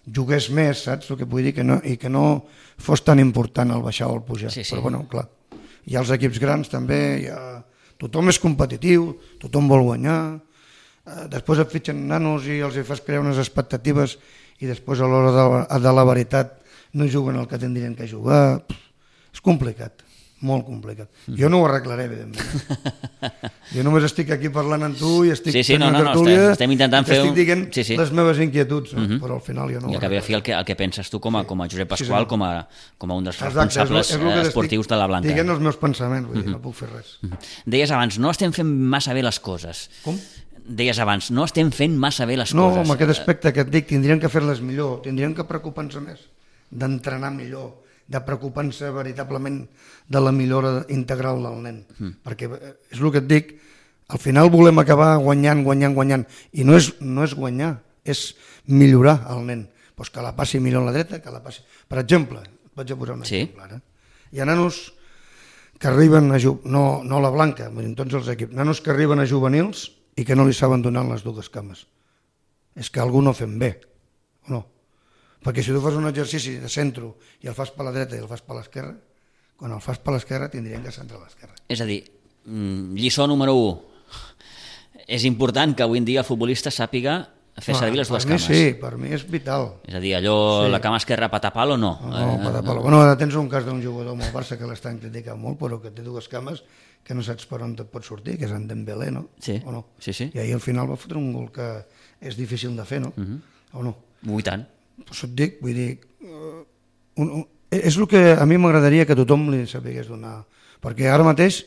jugués més, saps el que vull dir? Que no, I que no fos tan important el baixar o el pujar. Sí, sí. Però bueno, clar, hi ha els equips grans també, hi ha... tothom és competitiu, tothom vol guanyar, eh, després et fitxen nanos i els hi fas crear unes expectatives i després a l'hora de, de la veritat no juguen el que tindrien que jugar. Pff, és complicat. Molt complicat. Jo no ho arreglaré, evidentment. Jo només estic aquí parlant amb tu i estic sí, sí, fent no, una no, tertúlia no, estem, estem intentant fer estic un... dient sí, sí. les meves inquietuds, no? Uh -huh. Però al final jo no I ho al cap i a fi el que, el que penses tu com a, com a Josep Pasqual, sí, sí. Com, a, com a un dels responsables Exacte, és lo, és lo esportius de la Blanca. Diguent els meus pensaments, vull dir, uh -huh. no puc fer res. Uh -huh. Deies abans, no estem fent massa bé les coses. Com? Deies abans, no estem fent massa bé les no, coses. No, amb aquest aspecte que et dic, tindrien que fer-les millor, tindrien que preocupar-se més, d'entrenar millor, de preocupar-se veritablement de la millora integral del nen. Mm. Perquè és el que et dic, al final volem acabar guanyant, guanyant, guanyant, i no és, no és guanyar, és millorar el nen. Pues que la passi millor a la dreta, que la passi... Per exemple, et vaig a posar un sí. exemple ara. Hi ha nanos que arriben a... Ju... No, no la Blanca, en tots els equips, nanos que arriben a juvenils i que no li saben donar les dues cames. És que algú no fem bé, o no? Perquè si tu fas un exercici de centre i el fas per la dreta i el fas per l'esquerra, quan el fas per l'esquerra tindrien que centrar a l'esquerra. És a dir, lliçó número u, és important que avui en dia el futbolista sàpiga fer servir les dues cames. Per mi sí, per mi és vital. És a dir, allò, sí. La cama esquerra patapalo o no? No, no patapalo. Bueno, ara tens un cas d'un jugador amb el Barça que l'estan criticant molt, però que té dues cames que no saps per on et pot sortir, que és en Dembélé, no? Sí, o no? sí, sí. I ahir al final va fotre un gol que és difícil de fer, no? Uh -huh. O no? I tant. Això et dic, vull dir, uh, un, un, és el que a mi m'agradaria que tothom li sapigués donar, perquè ara mateix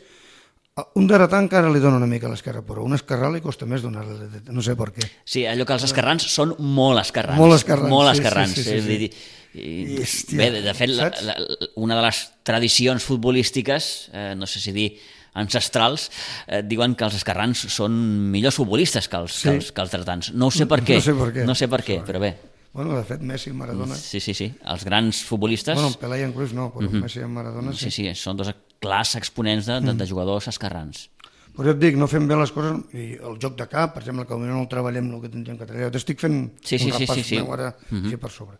un dretà encara li dona una mica a l'esquerra, però un esquerrà li costa més donar-li, no sé per què. Sí, allò que els esquerrans són molt esquerrans. Molt esquerrans, molt sí, esquerrans. sí, sí, sí, sí. I, i, I, hòstia, bé, de fet, la, la, una de les tradicions futbolístiques, eh, no sé si dir ancestrals, eh, diuen que els esquerrans són millors futbolistes que els, sí. que els, que els dretans. No sé per què, no sé per què, no sé per què, però bé. Bueno, de fet, Messi i Maradona... Sí, sí, sí, els grans futbolistes... Bueno, Pelé i en Cruyff no, però uh -huh. Messi i Maradona sí. Sí, sí, són dos clars exponents de, de, de jugadors esquerrans. Però jo et dic, no fem bé les coses, i el joc de cap, per exemple, que no el treballem el que tindríem que treballar. T'estic fent sí, sí, un repàs sí, sí, sí. meu ara uh -huh. així per sobre.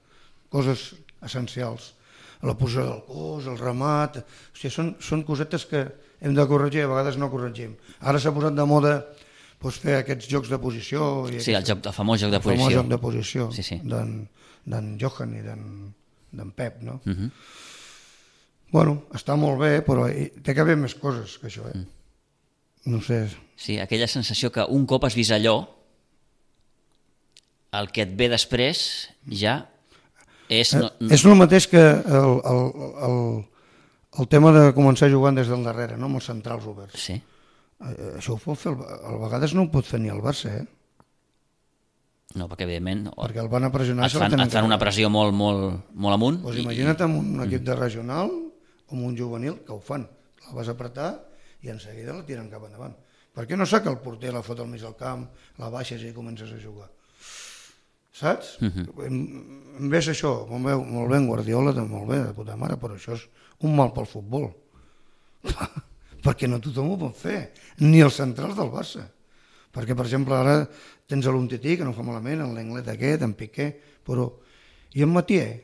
Coses essencials. La posició del cos, el remat... O sigui, són, són cosetes que hem de corregir i a vegades no corregim. Ara s'ha posat de moda pues, fer aquests jocs de posició... I sí, el, joc, el famós joc de el posició. El famós joc de posició sí, sí. d'en Johan i d'en Pep, no? Uh -huh. Bueno, està molt bé, però té que haver més coses que això, eh? Mm. No sé... Sí, aquella sensació que un cop has vist allò, el que et ve després ja és... No, no... És el mateix que el, el, el, el tema de començar jugant des del darrere, no? Amb els centrals oberts. Sí. Això ho pot fer, a vegades no ho pot fer ni el Barça, eh? No, perquè evidentment... Perquè el van a pressionar... Et fan, et fan una pressió molt, molt, molt amunt. Pues imagina't amb un equip de regional o amb un juvenil, que ho fan. La vas apretar i en seguida la tiren cap endavant. Per què no saca el porter, la fot al mig del camp, la baixes i comences a jugar? Saps? Uh -huh. em, em ves això, molt bé, molt bé en Guardiola, molt bé, de puta mare, però això és un mal pel futbol. Perquè no tothom ho pot fer, ni els centrals del Barça. Perquè, per exemple, ara tens l'Umtiti, que no fa malament, en l'Englet aquest, en Piqué, però... I en Matié,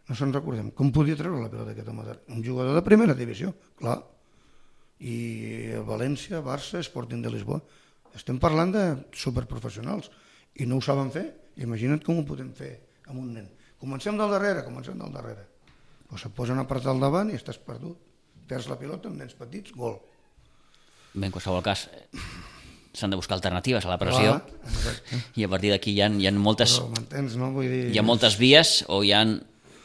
no se'n recordem, com podia treure la pilota aquest home? Un jugador de primera divisió, clar. I València, Barça, Sporting de Lisboa. Estem parlant de superprofessionals i no ho saben fer. Imagina't com ho podem fer amb un nen. Comencem del darrere, comencem del darrere. Pues et posen a apretar al davant i estàs perdut. Perds la pilota amb nens petits, gol. Bé, en qualsevol cas, s'han de buscar alternatives a la pressió. Clar, i a partir d'aquí hi ha, hi ha moltes... Però m'entens, no? Vull dir... Hi ha moltes vies o hi ha...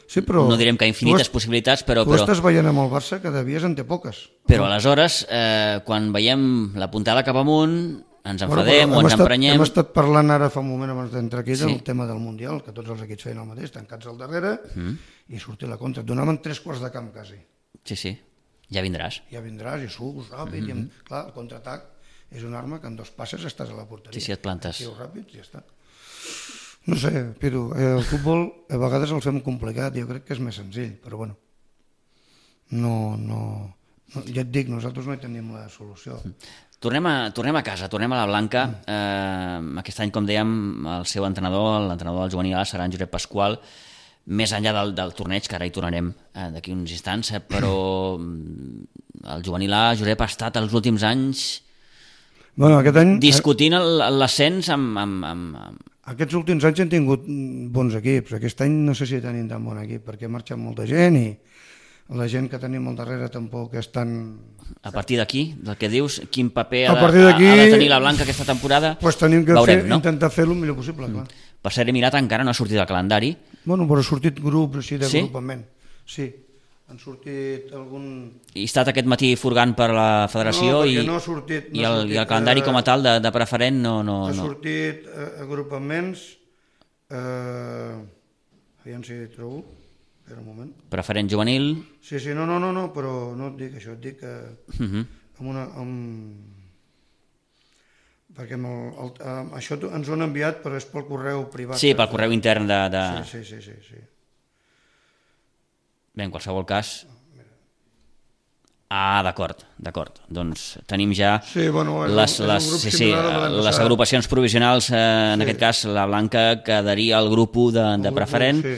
Sí, però no direm que infinites has, possibilitats, però... Tu però, estàs veient amb el Barça que de vies en té poques. Però no? Aleshores, eh, quan veiem la puntada cap amunt, ens enfadem bueno, o ens estat, emprenyem... Hem estat parlant ara fa un moment abans d'entrar aquí sí. del tema del Mundial, que tots els equips feien el mateix, tancats al darrere mm. i sortir la contra. Et donaven tres quarts de camp, quasi. Sí, sí, ja vindràs. Ja vindràs i surts ràpid. Mm -hmm. i amb, clar, el contraatac és una arma que en dos passes estàs a la porteria. Sí, sí, et plantes. I ràpids i ja està. No sé, Piru, el futbol a vegades el fem complicat, jo crec que és més senzill, però bueno, no, no... Ja et dic, nosaltres no hi tenim la solució. Tornem a, tornem a casa, tornem a la Blanca. Eh, aquest any, com dèiem, el seu entrenador, l'entrenador del juvenil A, serà en Josep Pasqual, més enllà del, del torneig, que ara hi tornarem eh, d'aquí uns instants, eh, però el juvenil A, Josep, ha estat els últims anys bueno, aquest any, discutint l'ascens amb, amb, amb, amb... Aquests últims anys han tingut bons equips. Aquest any no sé si tenim tan bon equip, perquè ha marxat molta gent i la gent que tenim al darrere tampoc és tan... A partir d'aquí, del que dius, quin paper ha a de, ha, ha de tenir la Blanca aquesta temporada, pues tenim que veurem, fer, no? intentar fer-lo el millor possible, clar. Per ser mirat encara no ha sortit del calendari. Bueno, però ha sortit grups així de Sí? grupament. Sí, han sortit algun... I ha estat aquest matí furgant per la federació No, i, perquè no ha sortit- no i, ha el, sortit, i el calendari eh, com a tal de, de preferent no... no, Ha no. sortit eh, agrupaments... Eh, aviam si hi trobo. Espera un moment. Preferent juvenil. Sí, sí, no, no, no, no, però no et dic això, et dic que Uh -huh. amb una... Amb... Perquè amb el, el, amb això t'ho- ens ho han enviat, però és pel correu privat. Sí, pel correu intern de... de... Sí, sí, sí, sí, sí. Bé, en qualsevol cas... Ah, d'acord, d'acord. Doncs tenim ja Sí, bueno, és un- les, és un les, grup sí, sí, similar a l'any les passat. agrupacions provisionals, eh, en Sí. aquest cas la Blanca quedaria al grup u de, de grup u, preferent, sí.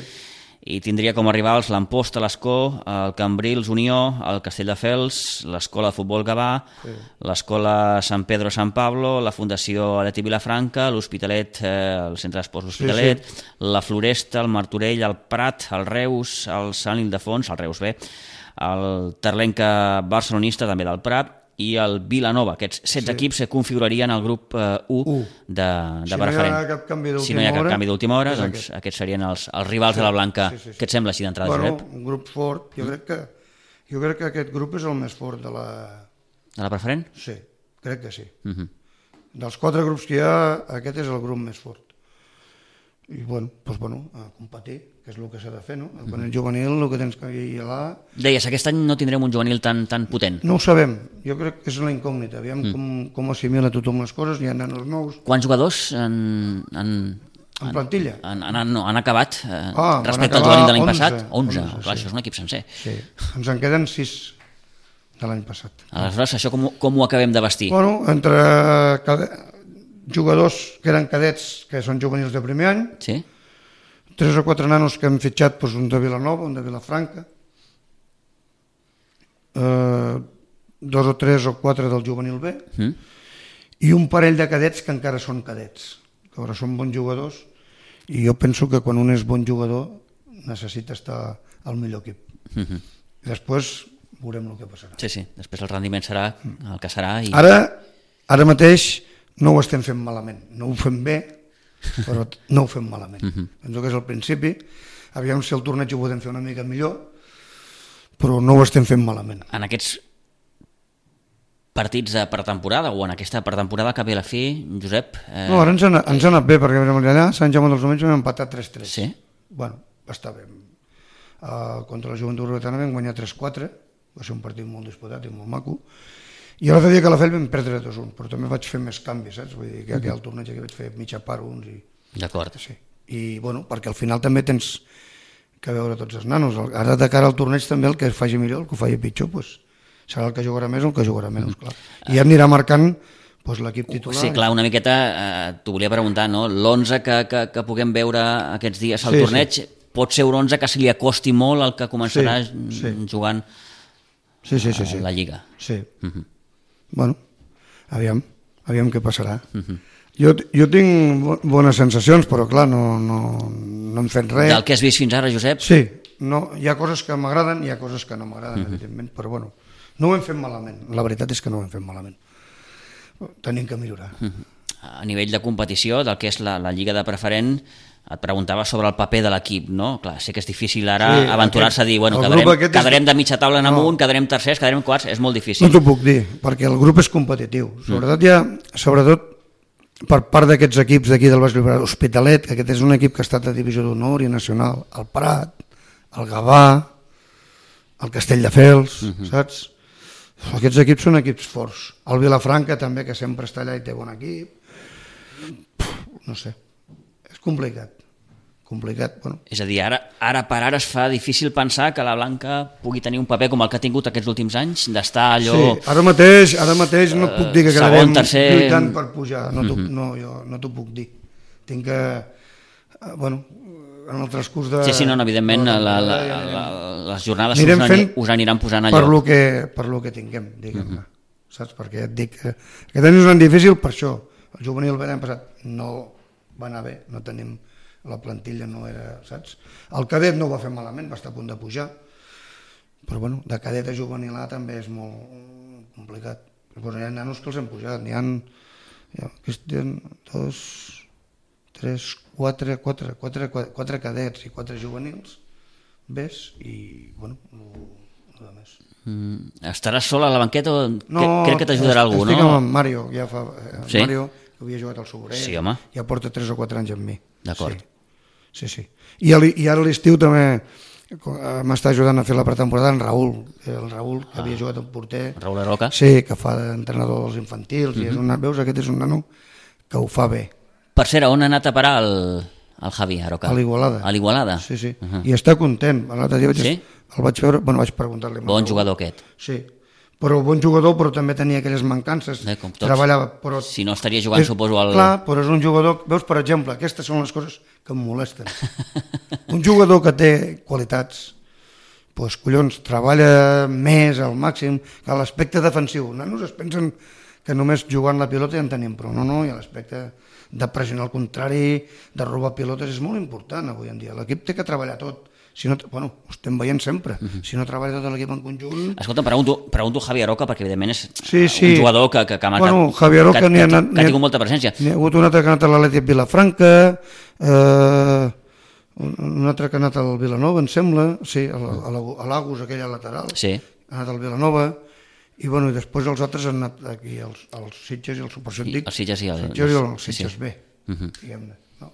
i tindria com a rivals l'Amposta, l'Escó, el Cambrils, Unió, el Castelldefels, l'Escola de Futbol Gavà, Sí. l'Escola Sant Pedro Sant Pablo, la Fundació Aleti Vilafranca, l'Hospitalet, eh, el Centre d'Esports L'Hospitalet, Sí, la Floresta, el Martorell, el Prat, el Reus, el Sant Ildefons, el Reus B, el Terlenca barcelonista, també del Prat, i el Vilanova. Aquests setze Sí. equips se configurarien al grup eh, u U. de, de Si no hi ha preferent. cap canvi d'última si no hi ha cap hora, canvi d'última hora, és doncs aquest. aquests serien els, els rivals Sí, de la Blanca. sí, sí, sí. Què et sembla així d'entrada, Bueno, Josep? un grup fort, jo crec que jo crec que aquest grup és el més fort de la... De la preferent? Sí, crec que sí. Uh -huh. Dels quatre grups que hi ha, aquest és el grup més fort. I bueno, doncs bueno, a competir, que és el que s'ha de fer, no? Quan ets juvenil, el que tens que ir a la... Deies, aquest any no tindrem un juvenil tan, tan potent. No ho sabem, jo crec que és una incògnita, aviam mm. com, com assimila tothom les coses, hi ha nanos nous, Quants jugadors han, han, en plantilla. han, han, no, han acabat eh, Ah, van respecte al acabar juvenil de l'any onze, passat? onze. onze, Clar, sí. això és un equip sencer. Sí, ens en queden sis de l'any passat. Aleshores, això com, com ho acabem de vestir? Bueno, entre cade... jugadors que eren cadets, que són juvenils de primer any, Sí? tres o quatre nanos que hem fitxat, doncs un de Vilanova, un de Vilafranca, eh, dos o tres o quatre del juvenil B, Mm? i un parell de cadets que encara són cadets, que ara són bons jugadors, i jo penso que quan un és bon jugador necessita estar al millor equip. Uh -huh. Després veurem el que passarà. Sí, sí, després el rendiment serà el que serà. I... Ara, ara mateix no ho estem fent malament, no ho fem bé, però no ho fem malament. Uh-huh. Penso que és el principi, aviam si el torneig ho podem fer una mica millor, però no ho estem fent malament. En aquests partits de pretemporada o en aquesta pretemporada que ve a la fi, Josep... Eh... No, ara ens ha, ens ha anat bé, perquè allà a Sant Jaume dels Domenys vam empatar tres tres. Sí? Bueno, va estar bé. Uh, contra la Joventut Urbetana vam guanyar tres quatre, va ser un partit molt disputat i molt maco, i l'altre dia que la Fel vam perdre dos un, però també vaig fer més canvis, saps? Vull dir que uh-huh. al torneig que vaig fer mitja part uns i... D'acord. Sí. I, bueno, perquè al final també tens que veure tots els nanos. Ara de cara al torneig també el que faci millor, el que ho faci pitjor, doncs, serà el que jugarà més o el que jugarà menys, clar. I ja anirà marcant doncs, l'equip titular. Sí, clar, una miqueta, eh, t'ho volia preguntar, no? l'onze que, que, que puguem veure aquests dies al Sí, torneig, sí. pot ser un onze que se li acosti molt al que començarà Sí, sí. jugant sí, sí, sí, a sí. la Lliga. Sí. Uh-huh. Bueno, aviam, aviam què passarà. Uh-huh. Jo, jo tinc bo- bones sensacions, però clar, no, no, no hem fet res. Del que has vist fins ara, Josep? Sí, no, hi ha coses que m'agraden i hi ha coses que no m'agraden, Uh-huh. evidentment, però bueno, no ho hem fet malament. La veritat és que no ho hem fet malament. Tenim que millorar. Uh-huh. A nivell de competició, del que és la, la Lliga de Preferent, et preguntava sobre el paper de l'equip, no? Clar, sé que és difícil ara Sí, aventurar-se a dir, bueno, el quedarem, grup aquest és- quedarem de mitja taula en No. amunt, quedarem tercers, quedarem quarts, és molt difícil. No t'ho puc dir, perquè el grup és competitiu. Sobretot ja, sobretot per part d'aquests equips d'aquí del Baix Llobregat, Hospitalet, que aquest és un equip que ha estat a Divisió d'Honor i Nacional, el Prat, el Gavà, el Castelldefels, uh-huh. saps? Aquests equips són equips forts. El Vilafranca també, que sempre està allà i té bon equip. Puf, no sé, és complicat. complicat. Bueno. És a dir, ara, ara per ara es fa difícil pensar que la Blanca pugui tenir un paper com el que ha tingut aquests últims anys, d'estar allò... Sí, ara mateix, ara mateix no puc dir que segon, quedarem tercer... lluitant per pujar, no, uh -huh. no, jo no t'ho puc dir. Tinc que, bueno, en el transcurs de... Sí, sí, no, no evidentment, la, la, la, la, les jornades us, ani, us aniran posant allò. Per lo que, per lo que tinguem, diguem-ne. Uh -huh. Saps? Perquè et dic que aquest any és un any difícil per això. El juvenil l'any passat no va anar bé, no tenim... la plantilla no era, saps? El cadet no ho va fer malament, va estar a punt de pujar, però bueno, de cadet a juvenil A també és molt complicat. Llavors hi ha nanos que els han pujat, n'hi ha, hi ha dos, tres, quatre, quatre, quatre, quatre, quatre cadets i quatre juvenils, ves, i bueno, no de més. Mm, estaràs sol a la banqueta o no, crec que t'ajudarà algú, no? Estic amb Mario, ja fa... Eh, sí? Mario, que havia jugat al Sobrell, sí, home. Ja porta tres o quatre anys amb mi. D'acord. Sí. Sí, sí. I, el, i ara a l'estiu també m'està ajudant a fer la pretemporada en Raül, el Raül que ah. havia jugat en porter. Raül Aroca? Sí, que fa d'entrenador dels infantils, uh -huh. i és un, veus, aquest és un nano que ho fa bé. Per cert, on ha anat a parar el, el Javi Aroca? A l'Igualada. A l'Igualada? Sí, sí, uh -huh. I està content. L'altre dia vaig, sí? el vaig veure, bueno, vaig preguntar-li. Bon jugador aquest. Sí, però bon jugador, però també tenia aquelles mancances. Eh, com tots. Treballava, però... Si no estaria jugant, és, suposo, al... Clar, però és un jugador... Veus, per exemple, aquestes són les coses que em molesten. Un jugador que té qualitats, doncs, collons, treballa més al màxim que l'aspecte defensiu. Nanos es pensen que només jugant la pilota ja en tenim prou. No, no, i l'aspecte de pressionar al contrari, de robar pilotes, és molt important avui en dia. L'equip té que treballar tot. Si no, bueno, ho estem veient sempre. Uh -huh. Si no treballa tot l'equip en conjunt... Escolta, pregunto, pregunto Javi Aroca, perquè evidentment és sí, sí. un jugador que, que, que ha marcat... Bueno, Javi Aroca que, n'hi ha, que, que, que ha tingut ha, molta presència. N'hi ha hagut un altre que ha anat a l'Atlètic Vilafranca, eh, un altre que ha anat al Vilanova, em sembla, sí, a l'Agus, aquella lateral, sí. Ha anat al Vilanova, i, bueno, i després els altres han anat aquí, els, els Sitges i el Supersòntic. Els Sitges i el, Sitges, i el Sitges sí, sí. B, uh -huh. diguem-ne. No?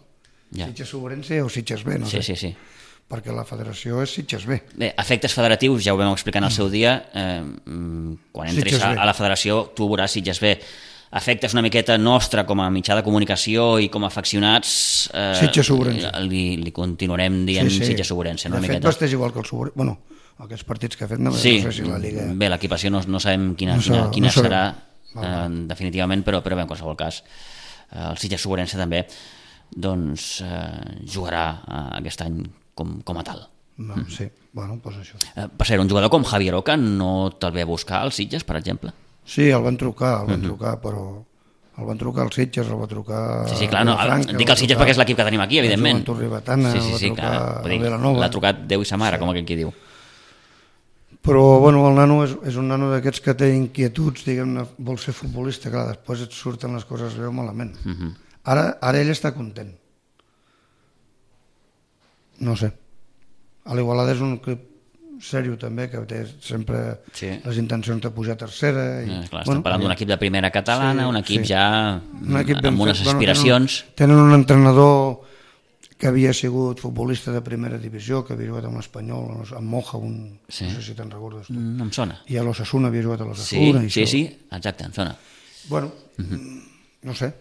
Ja. Sitges Sobrense o Sitges B, no sí, sé. Sí, sí, sí. Perquè la federació és Sitges B. Bé, efectes federatius, ja ho vam explicar en el seu dia, eh, quan entris a, a la federació tu veuràs Sitges B. Efectes una miqueta nostra com a mitjà de comunicació i com a afeccionats, eh, Sitges Sobrense. Li, li continuarem dient sí, sí. Sitges Sobrense. No? De fet, vesteix igual que el Sobrense. Bueno, aquests partits que ha fet, no, sí, no sé si la Lliga... Bé, l'equipació no, no sabem quina, no quina, quina no serà eh, definitivament, però, però bé, en qualsevol cas, eh, el Sitges Sobrense també doncs, eh, jugarà eh, aquest any com, com a tal. No, mm. Sí, bueno, doncs això. Eh, per ser un jugador com Javi Aroca no te'l ve a buscar als Sitges, per exemple? Sí, el van trucar, el van mm-hmm. trucar, però el van trucar als Sitges, el va trucar... Sí, sí, clar, no, Franca, dic els Sitges perquè és l'equip que tenim aquí, evidentment. El Joventut Ribetana, sí, sí, sí, el va trucar clar, dir, Vilanova. l'ha trucat Déu i sa mare, sí. Com aquell qui diu. Però, bueno, el nano és, és un nano d'aquests que té inquietuds, diguem-ne, vol ser futbolista, clar, després et surten les coses veu malament. Mm-hmm. Ara, ara ell està content. No sé. A l'Igualada és un club sèrio també, que té sempre sí. Les intencions de pujar a tercera. I, eh, clar, estem bueno, parlant d'un equip de primera catalana, sí, un equip sí. Ja un equip amb unes fet, aspiracions. Bueno, tenen, tenen un entrenador que havia sigut futbolista de primera divisió, que havia jugat amb l'Espanyol, amb Moja, un, sí. No sé si te'n recordes tu. No em sona. I a l'Osasuna havia jugat a l'Osasuna. Sí, sí, sí, exacte, em sona. Bueno, uh-huh. No sé.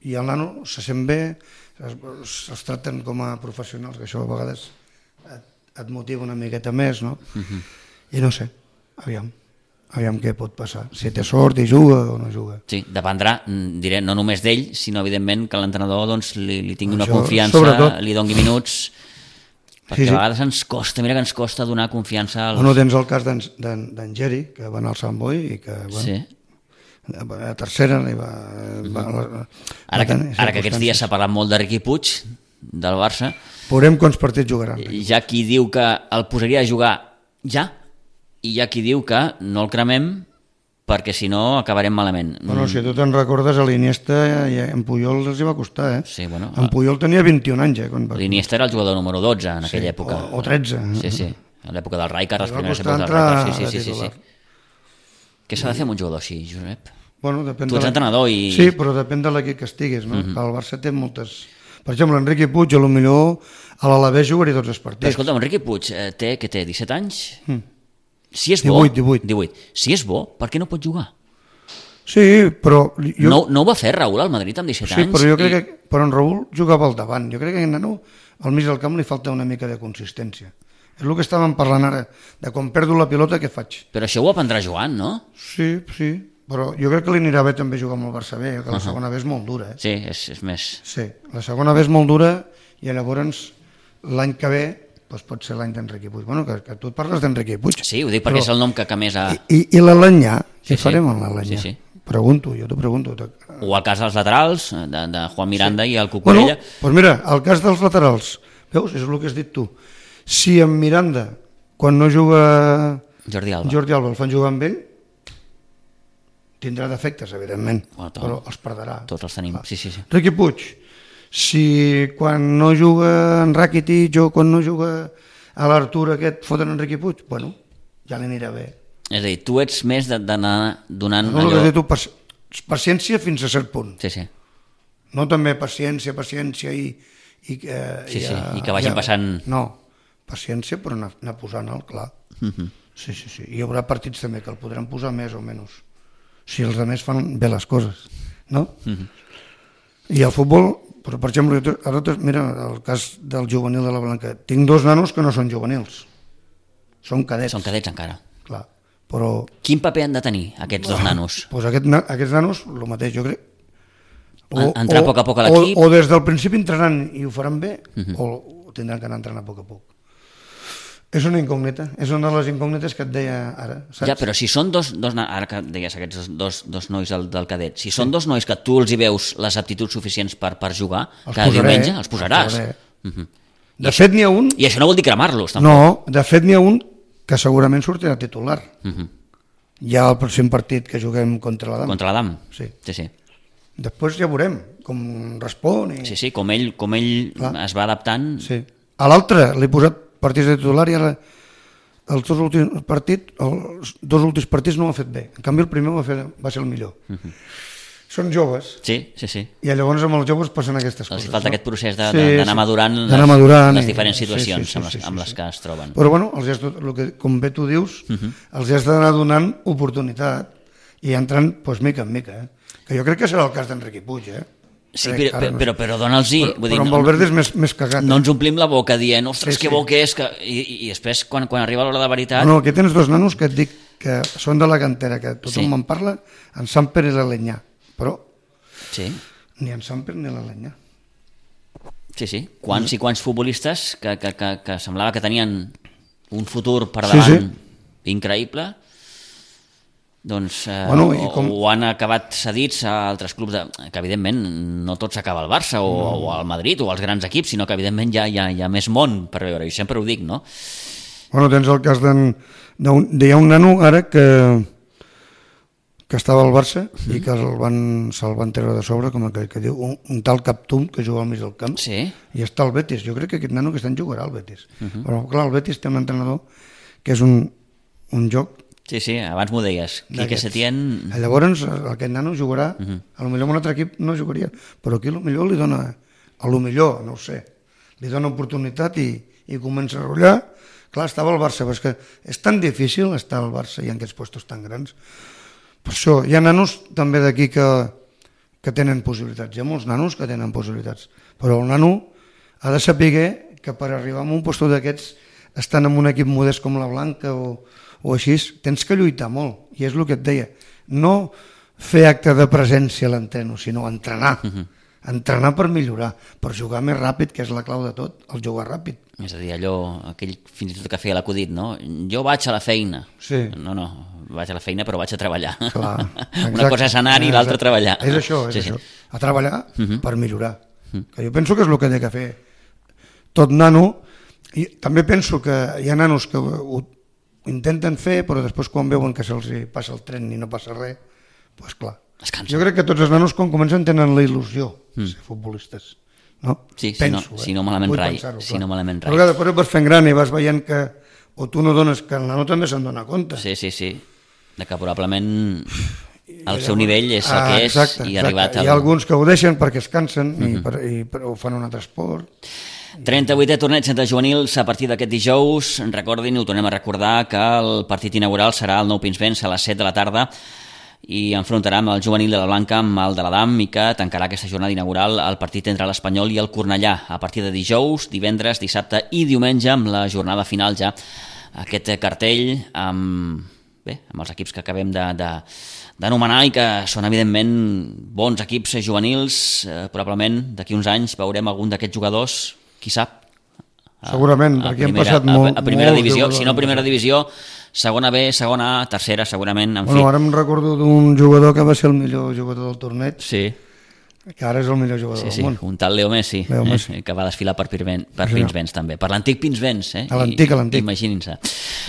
I el nano se sent bé, es, es tracten com a professionals, que això a vegades et, et motiva una miqueta més, no? Uh-huh. I no sé, aviam, aviam què pot passar, si té sort i juga o no juga. Sí, dependrà, diré, no només d'ell, sinó evidentment que l'entrenador doncs, li, li tingui una això, confiança, sobretot. Li doni minuts, perquè sí, sí. A vegades ens costa, mira que ens costa donar confiança als... Bueno, tens el cas d'en Geri, que va anar al Sant Boi i que, bueno, sí. A tercera li va... va la, ara que, ara que aquests dies s'ha parlat molt de Riqui Puig, del Barça... Veurem quants partits jugaran. Hi ha qui diu que el posaria a jugar ja, i hi ha qui diu que no el cremem perquè si no acabarem malament. Bueno, si tu te'n recordes, a l'Iniesta en Puyol els hi va costar, eh? Sí, bueno... En Puyol tenia vint-i-un anys, eh? Va... L'Iniesta era el jugador número dotze en aquella sí, època. O, o tretze. Sí, sí, a l'època del Rijkaard, les primeres èpoques del Rijkaard. Sí, sí, sí, sí, sí. Què s'ha de fer amb un jugador així, Josep? Bueno, depèn tu ets de entrenador i... Sí, però depèn de l'equip que estiguis, no? Uh-huh. El Barça té moltes... Per exemple, Enrique Puig, a lo millor a l'Alavés jugaria tots els partits. Però escolta, Enrique Puig eh, té, què té, disset anys? Mm. Si és divuit, bo... divuit. divuit. Si és bo, per què no pot jugar? Sí, però... Jo... No, no ho va fer Raúl al Madrid amb disset sí, anys? però jo crec i... que... Però en Raúl jugava al davant. Jo crec que en nano, al mig del camp li falta una mica de consistència. És el que estàvem parlant ara, de quan perdo la pilota, què faig? Però això ho aprendrà jugant, no? Sí, sí, però jo crec que li anirà bé també jugar amb el Barça B, que la Uh-huh. segona B és molt dura. Eh? Sí, és, és més... Sí, la segona B és molt dura i llavors l'any que ve doncs pot ser l'any d'Enriqui Puig. Bueno, que, que tu et parles d'Enriqui Puig. Sí, ho dic perquè però... és el nom que, que més ha... I, i l'Alanyà? Sí, Què sí. farem amb l'Alanyà? Sí, sí. Pregunto, jo t'ho pregunto. O el cas dels laterals, de, de Juan Miranda sí. i el Bueno, Cucurella. doncs mira, el cas dels laterals, veus, és el que has dit tu. Si en Miranda, quan no juga Jordi Alba. Jordi Alba, el fan jugar amb ell, tindrà defectes, evidentment, Bueno, tot, però els perdrà. Tots els tenim, sí, sí, sí. Riqui Puig, si quan no juga en Rakitic o quan no juga a l'Artur aquest foten en Riqui Puig, bueno, ja li anirà bé. És a dir, tu ets més d'anar donant No, el que allò... has dit tu, paci- paciència fins a cert punt. Sí, sí. No també paciència, paciència i... i, eh, Sí, sí, a- i que vagin a- passant- No, paciència però anar, anar posant el clar. Uh-huh. Sí, sí, sí. Hi haurà partits també que el podran posar més o menys. Si els altres fan bé les coses, no? Uh-huh. I el futbol, però per exemple, jo- ara te- mira, el cas del juvenil de la Blanca, tinc dos nanos que no són juvenils, són cadets. Són cadets encara. Clar, però... Quin paper han de tenir aquests dos nanos? Pues aquest, na- aquests nanos, el mateix, jo crec. En- entrar a poc a poc a l'equip? O, o des del principi entraran i ho faran bé, Mhm. o tindran que anar entrant a poc a poc. És una incògnita, és una de les incògnites que et deia ara, saps? Ja, però si són dos, dos na- ara que deies aquests dos, dos, dos nois del, del cadet, si són dos nois que tu els hi veus les aptituds suficients per, per jugar, Els cada posaré, diumenge els posaràs. els posaré. Uh-huh. De fet, n'hi ha un... I això no vol dir cremar-los, tampoc. No, de fet n'hi ha un que segurament sortirà titular. Uh-huh. Ja el pròxim partit que juguem contra l'Adam. Contra l'Adam? Sí. Sí, sí. Després ja veurem com respon. I... Sí, sí, com ell, com ell Clar. es va adaptant... Sí. A l'altre l'he posat partits de titular i ara els dos últims partits, els dos últims partits no ho ha fet bé. En canvi el primer va, fer, va ser el millor. Uh-huh. Són joves Sí, sí, sí. i llavors amb els joves passen aquestes Els coses. falta no? aquest procés de- Sí, de- d'anar sí. madurant D'anar les- madurant les i- diferents sí, sí, situacions sí, sí, amb les- sí, amb sí, les sí. que es troben. Però bueno, els has, el que, com bé tu dius, Uh-huh. els has d'anar donant oportunitat i entrant doncs, mica en mica. Eh? Que jo crec que serà el cas d'Enriqui Puig, eh? Sí, Crec, però, ara però, no però, sé. però dona'ls-hi. Però, Vull dir, però amb no, Valverde és més, més cagat. no eh? ens omplim la boca dient, ostres, Sí, que sí. bo que és, que... I, i després, quan, quan arriba l'hora de veritat... No, aquí tens dos nanos que et dic que són de la cantera, que tothom Sí. me'n parla, en Samper i l'Alenyà, però Sí, ni en Samper ni l'Alenyà. sí, sí. Quants i quants futbolistes que, que, que, que semblava que tenien un futur per Sí, davant sí. increïble, doncs eh, Bueno, i o, com- o han acabat cedits a altres clubs, de, que evidentment no tot s'acaba al Barça o, no. o al Madrid o als grans equips, sinó que evidentment hi ha, hi ha, hi ha més món per veure, i sempre ho dic, no? Bueno, tens el cas d'en... d'un- Hi ha un nano ara que que estava al Barça mm. i que el van, se'l van treure de sobre, com aquell que diu, un, un tal Captum que juga al mig del camp, Sí. i està al Betis. Jo crec que aquest nano que està en jugarà al Betis. Uh -huh. Però clar, el Betis té un entrenador que és un, un joc Sí, sí, abans m'ho deies. Quique d'aquests. Setién... Llavors aquest nano jugarà, uh -huh. a lo millor en un altre equip no jugaria, però aquí a lo millor li dona, a lo millor, no ho sé, li dona oportunitat i, i comença a rotllar. Clar, estava al Barça, però és que és tan difícil estar al Barça i en aquests puestos tan grans. Per això, hi ha nanos també d'aquí que, que tenen possibilitats, hi ha molts nanos que tenen possibilitats, però el nano ha de saber que per arribar a un lloc d'aquests, estant en un equip modest com la Blanca o, o així, tens que lluitar molt, i és el que et deia, no fer acte de presència a l'entreno, sinó entrenar, uh -huh. entrenar per millorar, per jugar més ràpid, que és la clau de tot, el jugar ràpid. És a dir, allò, aquell fins i tot que feia l'acudit, no? Jo vaig a la feina. Sí. No, no, vaig a la feina però vaig a treballar. Clar, Una exacte. cosa és anar i l'altra treballar. És això, és sí, això. Sí. A treballar Uh -huh. per millorar. Uh -huh. Que jo penso que és el que ha de fer tot nano, i també penso que hi ha nanos que ho, ho intenten fer, però després quan veuen que se'ls passa el tren i no passa res, doncs clar. Es cansa. Jo crec que tots els nanos quan comencen tenen la il·lusió de ser futbolistes. No? Sí, si penso, no- eh? si no malament Vull rai, pensar-ho, si clar. no malament rai. Però que després et vas fent gran i vas veient que o tu no dones, que el nano també se'n dona compte. Sí, sí, sí. De que probablement el seu nivell és el Ah, que és exacte, i ha arribat exacte. al... Hi ha alguns que ho deixen perquè es cansen uh -huh. i, per, i per, ho fan un altre esport. trenta-vuitè torneig de juvenils a partir d'aquest dijous. Recordin, ho tornem a recordar, que el partit inaugural serà el Nou Pinsbens a les set de la tarda. i enfrontarà amb el juvenil de la Blanca amb el de l'Adam i que tancarà aquesta jornada inaugural el partit entre l'Espanyol i el Cornellà a partir de dijous, divendres, dissabte i diumenge amb la jornada final ja. Aquest cartell amb, bé, amb els equips que acabem de, de, d'anomenar i que són evidentment bons equips juvenils, eh, probablement d'aquí uns anys veurem algun d'aquests jugadors, qui sap, segurament, a, a perquè primera, han passat molt, a, a primera molts divisió, jugadors. si no primera divisió, segona B, segona A, tercera segurament, en Bueno, fi. ara em recordo d'un jugador que va ser el millor jugador del torneig, Sí, que ara és el millor jugador sí, sí, del món. un tal Leo Messi, Leo Messi. Eh, que va desfilar per, Pirven, per Sí. Pinsbens també, per l'antic Pinsbens, eh? A l'antic, I- a l'antic. Imaginin-se.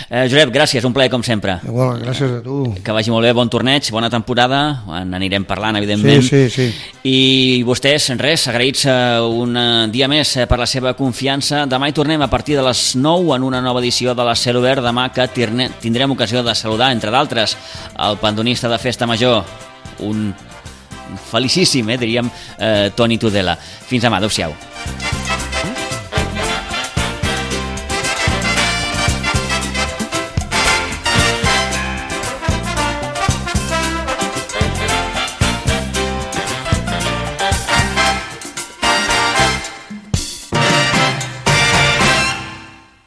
Eh, Josep, gràcies, un plaer com sempre. Igual, gràcies a tu. Que vagi molt bé, bon torneig, bona temporada, en anirem parlant, evidentment. Sí, sí, sí. I vostès, res, agraïts eh, un eh, dia més eh, per la seva confiança. Demà hi tornem a partir de les nou en una nova edició de la Cel Obert. Demà que tirne, tindrem ocasió de saludar, entre d'altres, el pandonista de Festa Major, un felicíssim, eh, diríem, eh, Toni Tudela. Fins demà, adeu-siau.